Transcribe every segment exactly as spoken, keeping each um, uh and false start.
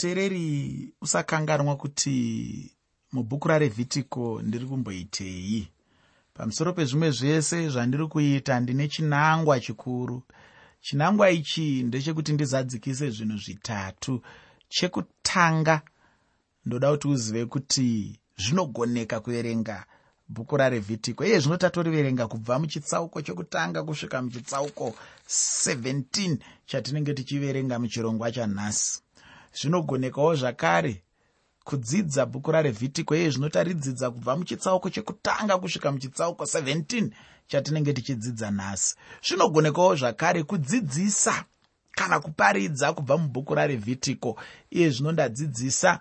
Muteereri, usakanganwa kuti mubhuku raRevhitiko ndiri kumboitei. Pamusoro pezvimwe zvese zvandiri kuita, ndine chinangwa chikuru. Chinangwa ichi ndechekuti ndizadzikise zvinhu zvitatu. Chekutanga, ndoda kuti uzive kuti zvinogoneka kuverenga bhuku raRevhitiko. Iye zvino tatoriverenga kubva muchitsauko chekutanga kusvika muchitsauko sevhentini chatinenge tichiverenga muchirongwa chanhasi. Zvinogonekawo zvakare kudzidza bhuku raRevhitiko. Iye zvino taridzidza kubva muchitsauko chekutanga kusvika muchitsauko sevhentini chatinenge tichidzidza nhasi. Zvinogonekawo zvakare kudzidzisa kana kuparidza kubva mubhuku raRevhitiko. Iye zvino ndadzidzisa,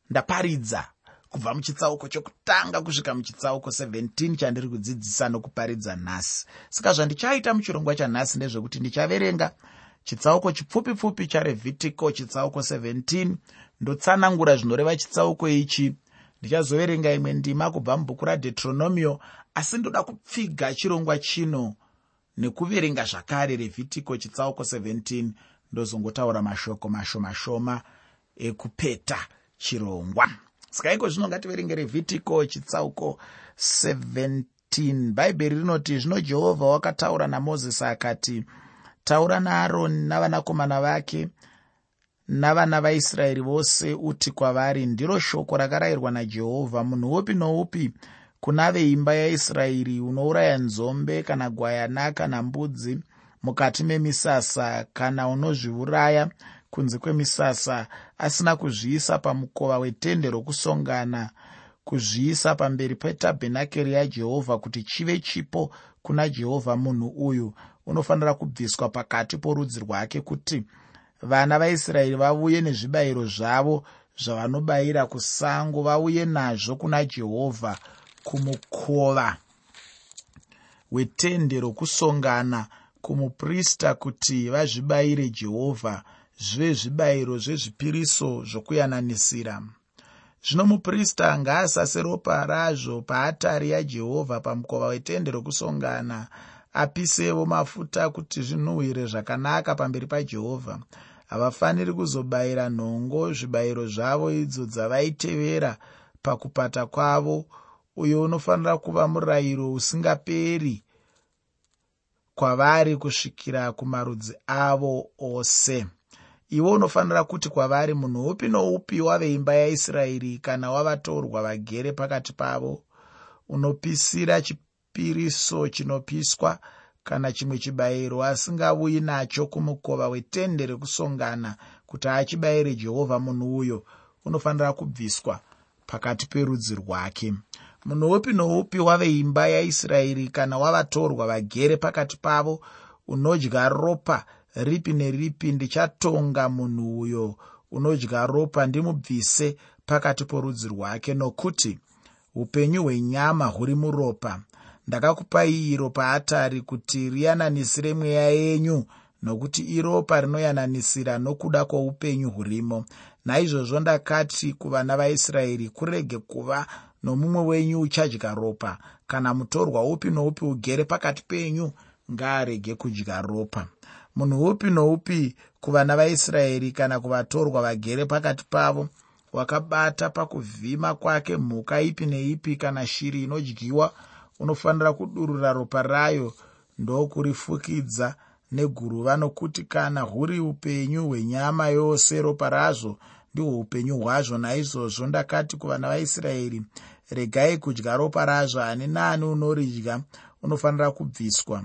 ndaparidza kubva muchitsauko chekutanga kusvika muchitsauko sevhentini chandiri kudzidzisa nokuparidza nhasi. Saka zvandichaita muchirongwa chanhasi ndezvekuti ndichaverenga chitsauko chipfupi pfupi chaRevhitiko, chitsauko sevhentini, ndotsanangura zvinoreva chitsauko ichi. Ndichazoverenga imwe ndima kubva mubhuku raDeuteronomio, asi ndoda kupfiga chirongwa chino nekuverenga zvakare Revhitiko chitsauko sevhentini, ndozongotaura mashoko mashoma shoma ekupeta chirongwa. Saka iko zvino ngativerenge Revhitiko chitsauko sevhentini. Bhaibheri rinoti, zvino Jehovha wakataura naMozisi akati, taura naAroni navanakomana vake navana vaIsraeri vose, uti kwavari, ndiro shoko rakarayirwa naJehovha, munhu upi noupi kuna veimba yaIsraeri unouraya nzombe kana gwayana kana mbudzi mukati memisasa, kana unozviuraya kunze kwemisasa asina kuzviisa pamukova wetende rokusongana, kuzviisa pamberi petabhenakeri yaJehovha kuti chive chipo kuna Jehovha, munhu uyu unofanira kubviswa pakati porudzi rwake, kuti vana vaIsraeri vauye nezvibayiro zvavo zvavanobayira kusango, vauye nazvo kuna Jehovha kumukova wetende rokusongana kumuprista, kuti vazvibayire Jehovha zvive zvibayiro zvezvipiriso zvokuyananisira. Zvino muprista ngaasase ropa razvo paatari yaJehovha pamukova wetende rokusongana, apisewo mafuta kuti zvinhuhwire zvakanaka pamberi paJehovha. Havafaniri kuzobayira nhongo zvibayiro zvavo idzo dzavaitevera pakupata kwavo. Uyo unofanira kuva murayiro usingaperi kwavari kusvikira kumarudzi avo ose. Iwe unofanira kuti kwavari, munhu upi noupi waveimba yaIsraeri kana wavatorwa vagere pakati pavo unopisira chipiriso chinopiswa kana chimwe chibayiro asingauyi nacho kumukova wetende rekusongana kuti achibayire Jehovha, munhu uyo unofanira kubviswa pakati perudzi rwake. Munhu upi noupi waveimba yaIsraeri kana wavatorwa vagere pakati pavo unodya ropa ripi neripi, ndichatonga munhu uyo unodya ropa ndimubvise pakati porudzi rwake, nokuti upenyu hwenyama huri muropa. Ndakakupai iro paatari kuti riyananisire mweya yenyu, nokuti iropa rinoyananisira nokuda kwoupenyu hurimo. Naizvozvo ndakati kuvana vaIsraeri, kurege kuva nomumwe wenyu uchadya ropa, kana mutorwa upi noupi ugere pakati penyu ngaarege kudya ropa. Munhu upi noupi kuvana vaIsraeri kana kuvatorwa vagere pakati pavo wakabata pakuvhima kwake mhuka ipi neipi kana shiri inodyiwa, unofanira kudurura ropa rayo ndokurifukidza neguruva, nokuti kana huri upenyu hwenyama yose ropa razvo ndihwo upenyu hwazvo. Naizvozvo ndakati kuvana vaIsraeri, regai kudya ropa razvo, ani naani unoridya unofanira kubviswa.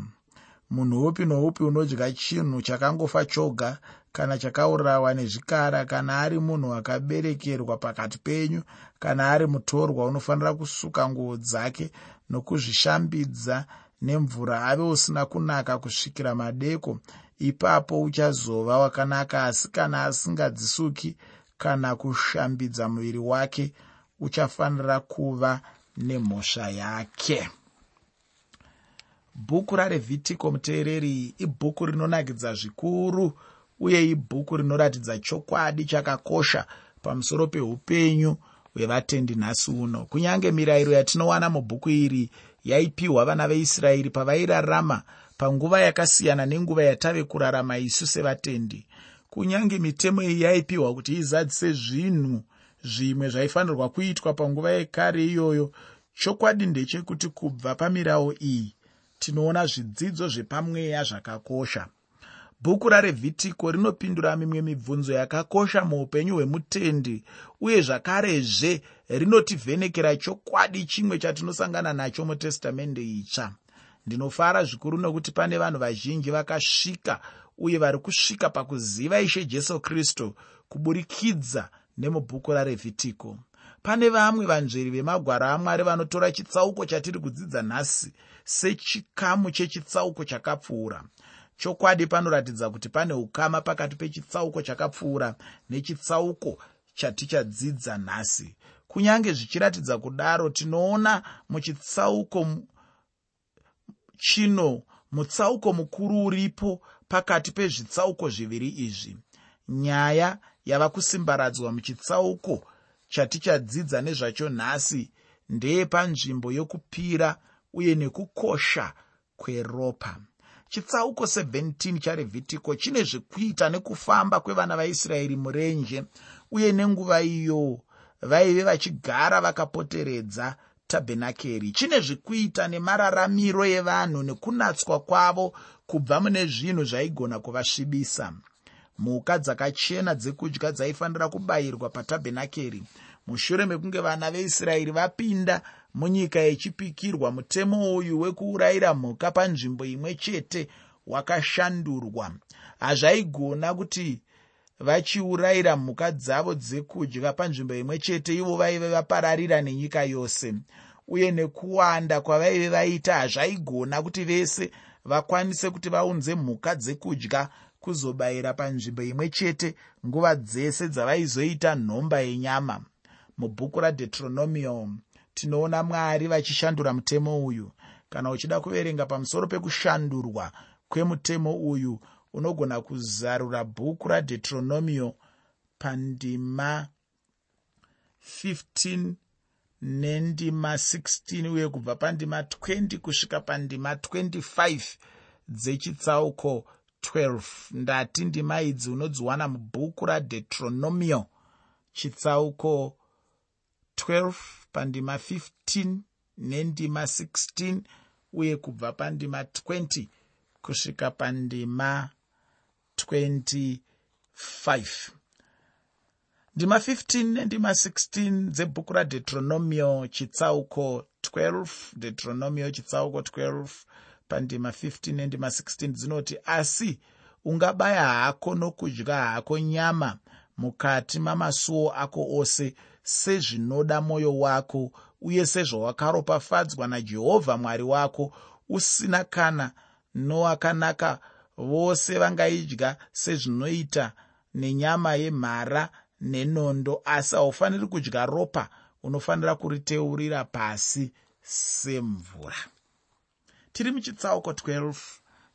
Munhu upi noupi unodya chinhu chakangofa choga kana chakaurawa nezvikara, kana ari munhu akaberekerwa pakati penyu kana ari mutorwa, unofanira kusuka nguo dzake nokuzvishambidza nemvura, ave usina kunaka kusvikira madeko, ipapo uchazova wakanaka. Asi kana asingadzisuki kana kushambidza muviri wake, uchafanira kuva nemhosva yake. Bhuku raRevhitiko, muteereri, ibhuku rinonakidza zvikuru uye ibhuku rinoratidza chokwadi chakakosha pamusoro peupenyu hwevatendi nhasi uno. Kunyange mirayiro yatinowana mubhuku iri yaipiwa vana veIsraeri pavairarama panguva yakasiyana nenguva yatave kurarama isu sevatendi. Kunyange mitemo iyi yaipiwa kuti izadzise zvinhu zvimwe zvaifanirwa kuitwa panguva yekare iyoyo, chokwadi ndechekuti kubva pamirau iyi tinoona zvidzidzo zvepamweya zvakakosha. Bhuku raRevhitiko rinopindura mimwe mibvunzo yakakosha muupenyu hwemutendi, uye zvakarezve rinotivhenekera chokwadi chimwe chatinosangana nacho mutestamende itsva. Ndinofara zvikuru nokuti pane vanhu vazhinji vakasvika uye vari kusvika pakuziva Ishe Jesu Kristu kuburikidza nemubhuku raRevhitiko. Pane vamwe vanzveri vemagwaro aMwari vanotora chitsauko chatiri kudzidza nhasi sechikamu chechitsauko chakapfuura. Chokwadi panoratidza kuti pane ukama pakati pechitsauko chakapfuura nechitsauko chatichadzidza nhasi. Kunyange zvichiratidza kudaro, tinoona muchitsauko chino mutsauko mukuru uripo pakati pezvitsauko zviviri izvi. Nyaya yava kusimbaradzwa muchitsauko chatichadzidza nezvacho nhasi ndeyepanzvimbo yokupira uye nekukosha kweropa. Chitsauko seventeen chaRevhitiko chine zvekuita nekufamba kwevana vaIsraeri murenje uye nenguva iyo vaive vachigara vakapoteredza tabhenakeri. Chine zvekuita nemararamiro evanhu nekunatswa kwavo kubva mune zvinhu zvaigona kuvasvibisa. Mhuka dzakachena dzekudya dzaifanira kubayirwa patabhenakeri. Mushure mekunge vana veIsraeri vapinda munyika yechipikirwa, mutemo uyu wekuurayira mhuka panzvimbo imwe chete wakashandurwa. Hazvaigona kuti vachiurayira mhuka dzavo dzekudya panzvimbo imwe chete ivo vaive vapararira nenyika yose, uye nekuwanda kwavaive vaita hazvaigona kuti vese vakwanise kuti vaunze mhuka dzekudya kuzobayira panzvimbo imwe chete nguva dzese dzavaizoita nhomba yenyama. Mubhuku raDeuteronomio tinoona Mwari vachishandura mutemo uyu. Kana uchida kuverenga pamusoro pekushandurwa kwemutemo uyu, unogona kuzarura bhuku raDeuteronomio pandima fifteen nendima sixteen uye kubva pandima twenty kusvika pandima twenty-five dzechitsauko twelve. Ndati ndima idzi unodziwana mubhuku raDeuteronomio chitsauko twelve pandima fifteen nendima sixteen uye kubva pandima twenty kusvika pandima twenty-five. Ndima fifteen nendima sixteen dzebhuku raDeuteronomio chitsauko twelve, Deuteronomio chitsauko twelve pandima fifteen nendima sixteen dzinoti: asi ungabaya hako nokudya hako nyama mukati mamasuo ako ose sezvinoda mwoyo wako uye sezvawakaropafadzwa naJehovha Mwari wako, usina kana nowakanaka vose vangaidya sezvinoita nenyama yemhara nenondo, asi haufaniri kudya ropa, unofanira kuriteurira pasi semvura. Tiri muchitsauko twelve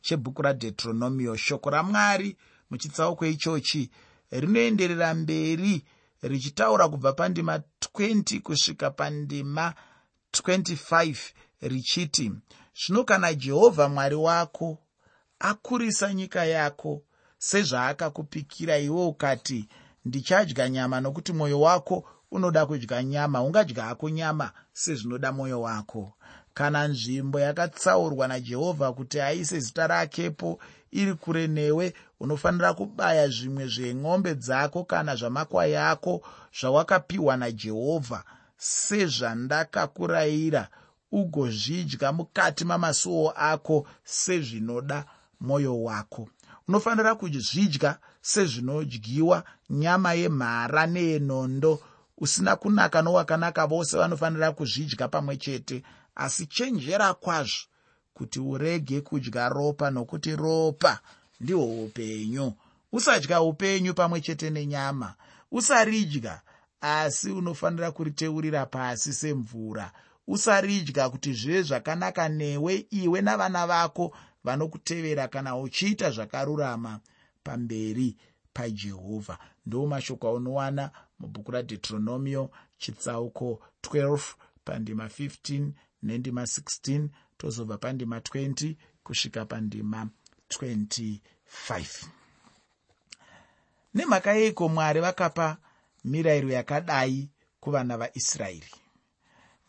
chebhuku raDeuteronomio. Shoko raMwari muchitsauko ichochi rinoenderera mberi richitaura kubva pandima twenty kusvika pandima twenty-five richiti: zvino kana Jehovha Mwari wako akurisa nyika yako sezvaakakupikira iwe ukati, ndichadya nyama nokuti mwoyo wako unoda kudya nyama, ungadya hako nyama sezvinoda mwoyo wako. Kana nzvimbo yakatsaurwa naJehovha kuti aise zita rakepo iri kure newe, unofanira kubaya zvimwe zveng'ombe dzako kana zvamakwai ako zvawakapiwa naJehovha sezvandakakurayira, ugozvidya mukati mamasuo ako sezvinoda mwoyo wako. Unofanira kuzvidya sezvinodyiwa nyama yemhara neyenondo, usina kunaka nowakanaka vose vanofanira kuzvidya pamwe chete. Asi chenjera kwazvo kuti urege kudya ropa, nokuti ropa ndihwo upenyu. Usadya upenyu pamwe chete nenyama, usaridya, asi unofanira kuriteurira pasi semvura. Usaridya kuti zvive zvakanaka newe iwe navana vako vanokutevera, kana uchiita zvakarurama pamberi paJehovha. Ndo mashoko aunowana mubhuku raDeuteronomio chitsauko twelve pandima fifteen nendima sixteen, tozobva pandima twenty kusvika pandima twenty-five. Nemhaka yeiko Mwari vakapa mirayiro yakadai kuvana vaIsraeri?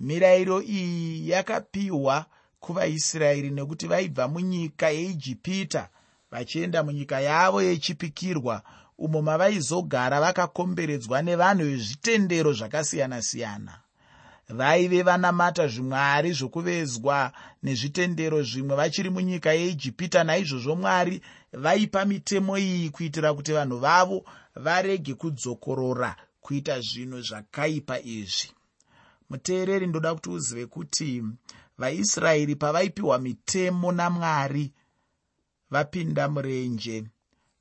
Mirayiro iyi yakapiwa kuvaIsraeri nekuti vaibva munyika yeIjipita vachienda munyika yavo yechipikirwa, umo mavaizogara vakakomberedzwa nevanhu vezvitendero zvakasiyana-siyana. Vaive vanamata zvimwari zvokuvezwa nezvitendero zvimwe vachiri munyika yeIjipita. Naizvozvo Mwari vaipa mitemo iyi kuitira kuti vanhu vavo varege kudzokorora kuita zvinhu zvakaipa izvi. Muteereri, ndoda kuti uzive kuti vaIsraeri pavaipiwa mitemo naMwari vapinda murenje,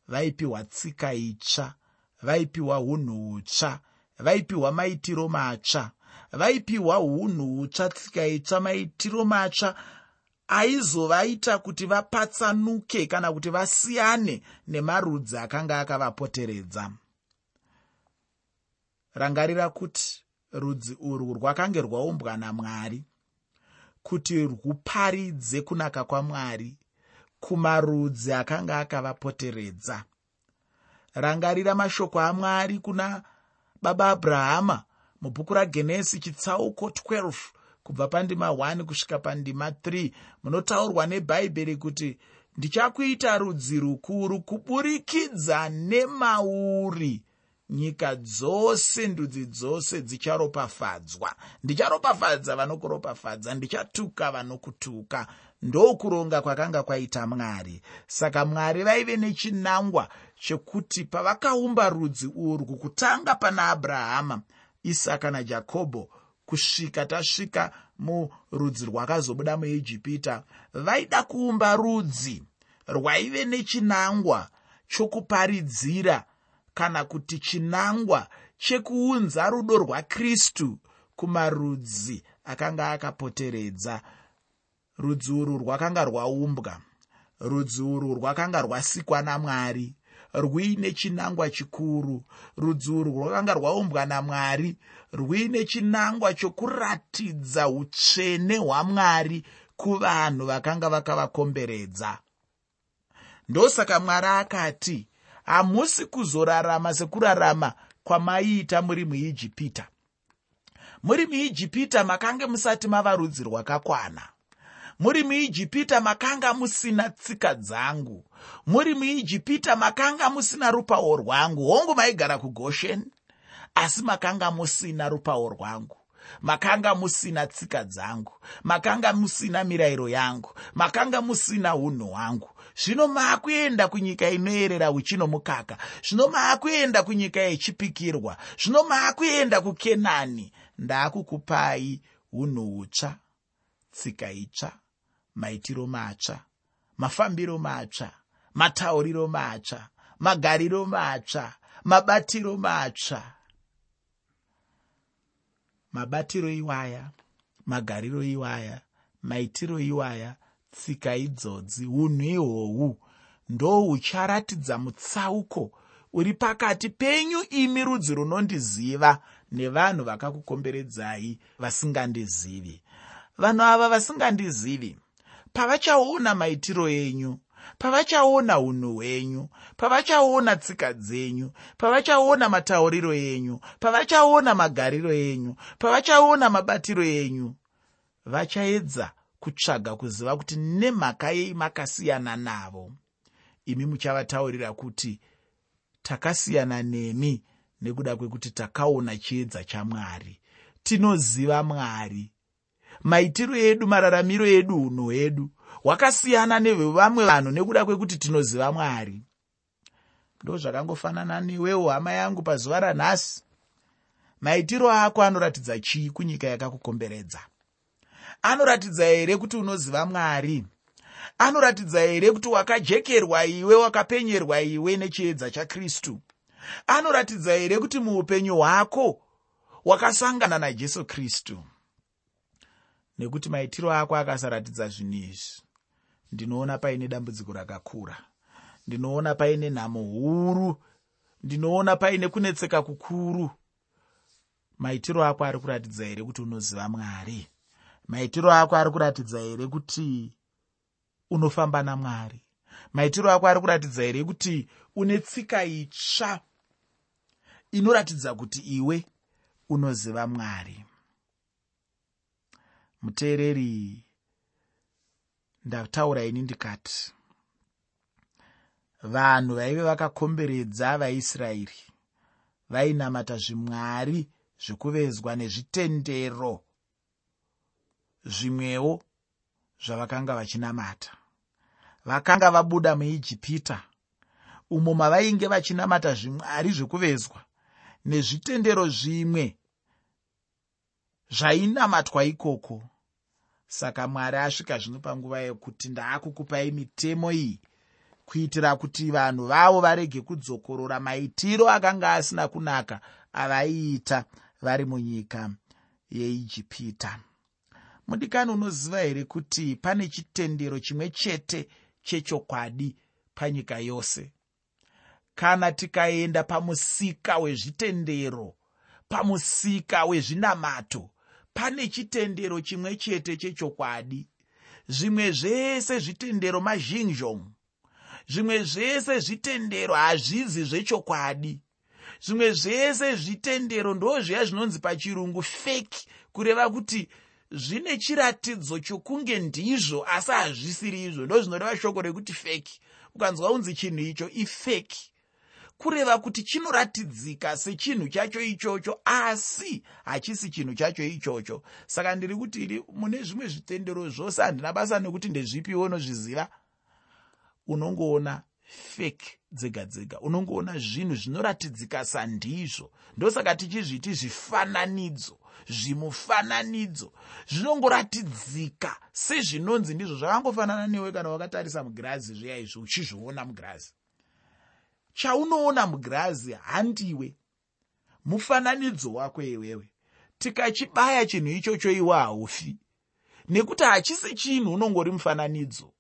vaipiwa tsika itsva, vaipiwa hunhu hutsva, vaipiwa maitiro matsva, vaipiwa hunhu hutsva, tsika itsva, maitiro matsva aizovaita kuti vapatsanuke kana kuti vasiyane nemarudzi akanga akavapoteredza. Rangarira kuti rudzi urwu rwakange rwaumbwa naMwari kuti rwuparidze kunaka kwaMwari kumarudzi akanga akavapoteredza. Rangarira mashoko aMwari kuna baba Abrahama mubhuku raGenesi chitsauko twelve kubva pandima one kusvika pandima three, munotaurwa neBhaibheri kuti ndichakuita rudzi rukuru kuburikidza nemauri, nyika dzose ndudzi dzose dzicharopafadzwa. Ndicharopafadza vanokuropafadza, ndichatuka vanokutuka. Ndokuronga kwakanga kwaita Mwari. Saka Mwari vaive nechinangwa chekuti pavakaumba rudzi urwu kutanga pana Abrahama, Isaka naJakobho kusvika tasvika murudzi rwakazobuda muIjipita, vaida kuumba rudzi rwaive nechinangwa chokuparidzira kana kuti chinangwa chekuunza rudo rwaKristu kumarudzi akanga akapoteredza. Rudzi urwu rwakanga rwaumbwa, rudzi urwu rwakanga rwasikwa naMwari rwuine chinangwa chikuru. Rudzi urwu rwakanga rwaumbwa naMwari rwuine chinangwa chokuratidza utsvene hwaMwari kuvanhu vakanga vakavakomberedza. Ndosaka Mwari akati, hamusi kuzorarama sekurarama kwamaiita muri muIjipita. Muri muIjipita makange musati mava rudzi rwakakwana. Muri muIjipita makanga musina tsika dzangu. Muri muIjipita makanga musina rupawo rwangu. Hongu maigara kuGosheni, asi makanga musina rupawo rwangu. Makanga musina tsika dzangu. Makanga musina mirayiro yangu. Makanga musina unhu hwangu. Zvino maakuenda kunyika inoerera uchi nomukaka. Zvino maakuenda kunyika yechipikirwa. Zvino maakuenda kuKenani. Ndaakukupai unhu hutsva, tsika itsva, maitiro matsva, mafambiro matsva, matauriro matsva, magariro matsva, mabatiro matsva. Mabatiro iwaya, magariro iwaya, maitiro iwaya, tsika idzodzi, unhu ihwohwu ndohucharatidza mutsauko uri pakati penyu imi rudzi runondiziva nevanhu vakakukomberedzai vasingandizivi. Vanhu ava vasingandizivi pavachaona maitiro enyu, pavachaona unhu hwenyu, pavachaona tsika dzenyu, pavachaona matauriro enyu, pavachaona magariro enyu, pavachaona mabatiro enyu, vachaedza kutsvaga kuziva kuti nemhaka yei makasiyana navo. Imi muchavataurira kuti takasiyana nemi nekuda kwekuti takaona chiedza chaMwari, tinoziva Mwari. Maitiro edu, mararamiro edu, unhu hwedu hwakasiyana nevevamwe vanhu nekuda kwekuti tinoziva Mwari. Ndo zvakangofanana newewo hama yangu pazuva ranhasi. Maitiro ako anoratidza chii kunyika yakakukomberedza? Anoratidza here kuti unoziva Mwari? Anoratidza here kuti wakajekerwa iwe, wakapenyerwa iwe nechiedza chaKristu? Anoratidza here kuti muupenyu hwako wakasangana naJesu Kristu? Nekuti maitiro ako akasaratidza zvinhu izvi, ndinoona paine dambudziko rakakura, ndinoona paine nhamo huru, ndinoona paine kunetseka kukuru. Maitiro ako ari kuratidza here kuti unoziva Mwari? Maitiro ako ari kuratidza here kuti unofamba naMwari? Maitiro ako ari kuratidza here kuti une tsika itsva inoratidza kuti iwe unoziva Mwari. Muteereri, ndataura ini ndikati vanhu vaive vakakomberedza vaIsraeri vainamata zvimwari zvekuvezwa nezvitendero zvimwewo zvavakanga vachinamata. Vakanga vabuda muIjipita umo mavainge vachinamata zvimwari zvekuvezwa nezvitendero zvimwe zvainamatwa ikoko. Saka Mwari asvika zvino panguva yekuti ndaakukupai mitemo iyi kuitira kuti vanhu vavo varege kudzokorora maitiro akanga asina kunaka avaiita vari munyika yeIjipita. Mudikani, unoziva here kuti pane chitendero chimwe chete chechokwadi panyika yose? Kana tikaenda pamusika wezvitendero, pamusika wezvinamato, pane chitendero chimwe chete chechokwadi. Zvimwe zvese zvitendero mazhinjong, zvimwe zvese zvitendero hazvizi zvechokwadi. Zvimwe zvese zvitendero ndozviya zvinonzi pachirungu fake, kureva kuti zvine chiratidzo chokunge ndizvo asi hazvisiri izvo. Ndozvinoreva shoko rekuti fake. Ukanzwa unzi chinhu icho ifake, kureva kuti chinoratidzika sechinhu chacho ichocho asi hachisi chinhu chacho ichocho. Saka ndiri kuti iri mune zvimwe zvitendero zvose, handina basa nekuti ndezvipiwo unozviziva, unongoona fake dzega dzega, unongoona zvinhu zvinoratidzika sandizvo. Ndosaka tichizviti zvifananidzo, zvimufananidzo zvinongoratidzika sezvinonzi ndizvo. Zvakangofanana newe kana wakatarisa mugirazi zviya izvo uchizviona mugirazi. Chaunoona mugirazi handiwe, mufananidzo wako iwewe. Tikachibaya chinhu ichocho iwe haufi, nekuti hachisi chinhu, unongori mufananidzo.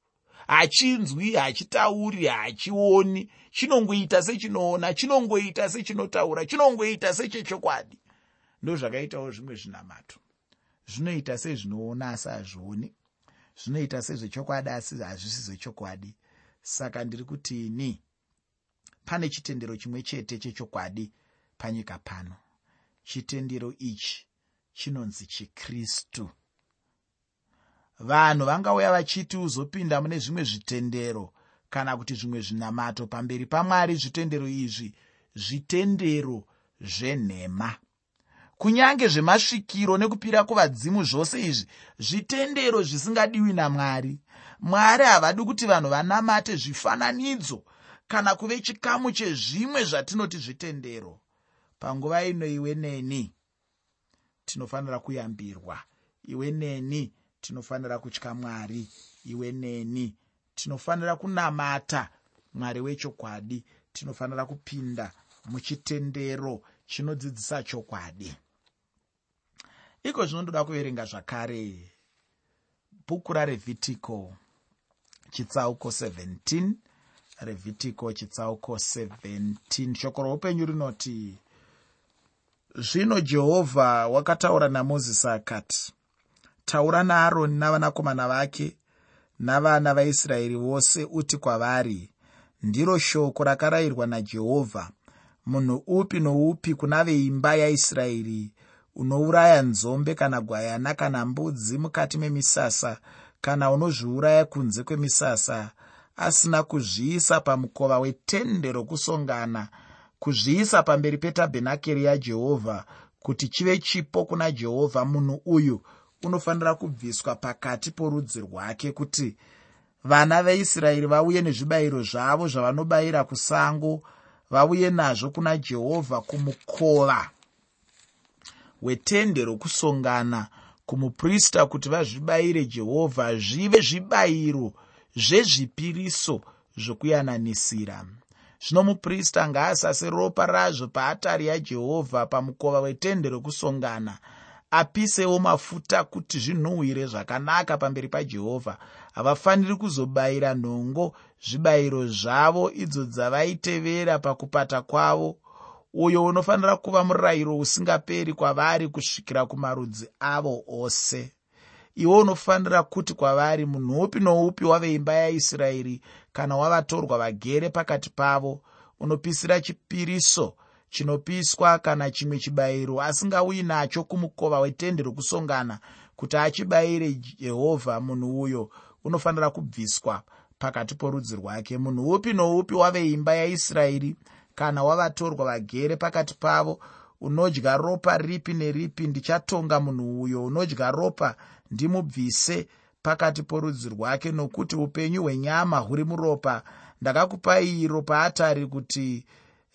Hachinzwi, hachitauri, hachioni, chinongoita sechinoona, chinongoita sechinotaura, chinongoita sechechokwadi. Ndozvakaitawo zvimwe zvinamato, zvinoita sezvinoona asi hazvioni, zvinoita sezvechokwadi asi hazvisi zvechokwadi. Saka ndiri kuti ini pane chitendero chimwe chete chechokwadi panyika pano. Chitendero ichi chinonzi chiKristu. Vanhu vangauya vachiti uzopinda mune zvimwe zvitendero kana kuti zvimwe zvinamato pamberi paMwari. Zvitendero izvi zvitendero zvenhema. Kunyange zvemasvikiro nekupira kuvadzimu, zvose izvi zvitendero zvisingadiwi naMwari. Mwari havadi kuti vanhu vanamate zvifananidzo kana kuve chikamu chezvimwe zvatinoti zvitendero. Panguva ino iwe neni tinofanira kuyambirwa, iwe neni tinofanira kutya Mwari, iwe neni tinofanira kunamata Mwari wechokwadi, tinofanira kupinda muchitendero chinodzidzisa chokwadi. Iko zvino ndoda kuverenga zvakare bhuku raRevhitiko chitsauko seventeen. Revhitiko chitsauko seventeen. Shoko roupenyu rinoti: Zvino Jehovha wakataura naMozisi akati, taura naAroni navanakomana vake navana vaIsraeri vose, uti kwavari, ndiro shoko rakarayirwa naJehovha. Munhu upi noupi kuna veimba yaIsraeri unouraya nzombe kana gwayana kana mbudzi mukati memisasa, kana unozviuraya kunze kwemisasa, asina kuzviisa pamukova wetende rokusongana, kuzviisa pamberi petabhenakeri yaJehovha kuti chive chipo kuna Jehovha, munhu uyu unofanira kubviswa pakati porudzi rwake, kuti vana veIsraeri vauye nezvibayiro zvavo zvavanobayira kusango, vauye nazvo kuna Jehovha kumukova wetende rokusongana, kumuprista, kuti vazvibayire Jehovha zvive zvibayiro zvezvipiriso zvokuyananisira. Zvino muprista ngaasase ropa razvo paatari yaJehovha pamukova wetende rokusongana, apisewo mafuta kuti zvinhuhwire zvakanaka pamberi paJehovha. Havafaniri kuzobayira nhongo zvibayiro zvavo idzo dzavaitevera pakupata kwavo. Uyo unofanira kuva murayiro usingaperi kwavari kusvikira kumarudzi avo ose. Iwe unofanira kuti kwavari, munhu upi noupi waveimba yaIsraeri kana wavatorwa vagere pakati pavo unopisira chipiriso Chinopiswa kana chimwe chibayiro asingauyi nacho kumukova wetende rokusongana kuti achibayire Jehovha, munhu uyo unofanira kubviswa pakati porudzi rwake. Munhu upi noupi waveimba yaIsraeri kana wavatorwa vagere pakati pavo unodya ropa ripi neripi, ndichatonga munhu uyo unodya ropa ndimubvise pakati porudzi rwake, nokuti upenyu hwenyama huri muropa. Ndakakupai iro paatari kuti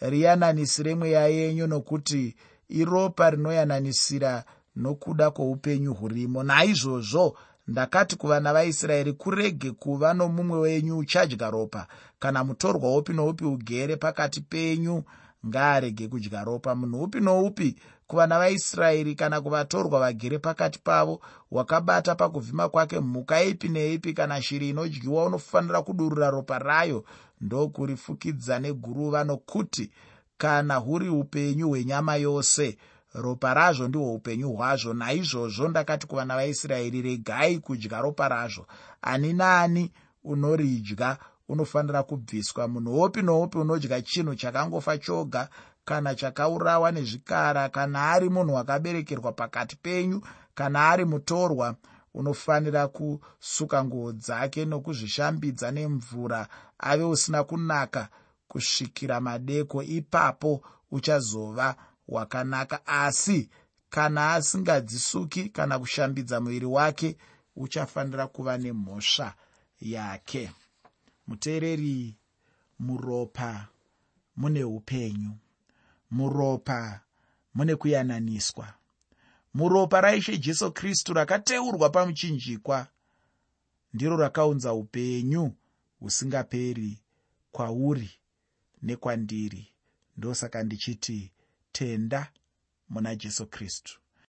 riyananisire mweya yenyu, nokuti iropa rinoyananisira nokuda kwoupenyu hurimo. Naizvozvo ndakati kuvana vaIsraeri, kurege kuva nomumwe wenyu uchadya ropa. Kana mutorwa upi noupi ugere pakati penyu ngaarege kudya ropa. Munhu upi noupi kuvana vaIsraeri kana kuvatorwa vagere pakati pavo wakabata pakuvhima kwake mhuka ipi neipi kana shiri inodyiwa, unofanira kudurura ropa rayo ndokurifukidza neguruva, nokuti kana huri upenyu hwenyama yose, ropa razvo ndihwo upenyu hwazvo. Naizvozvo ndakati kuvana vaIsraeri, regai kudya ropa razvo. Ani naani unoridya unofanira kubviswa. Munhu upi noupi unodya chinhu chakangofa choga kana chakaurawa nezvikara, kana ari munhu wakaberekerwa pakati penyu kana ari mutorwa, unofanira kusuka nguo dzake nokuzvishambidza nemvura, ave usina kunaka kusvikira madeko. Ipapo uchazova wakanaka. Asi kana asingadzisuki kana kushambidza muviri wake, uchafanira kuva nemhosva yake. Muteereri, muropa mune upenyu, muropa mune kuyananiswa. Muropa raIshe Jesu Kristu rakateurwa pamuchinjikwa ndiro rakaunza upenyu husingaperi kwauri nekwandiri. Ndosaka ndichiti tenda muna Jesu Kristu.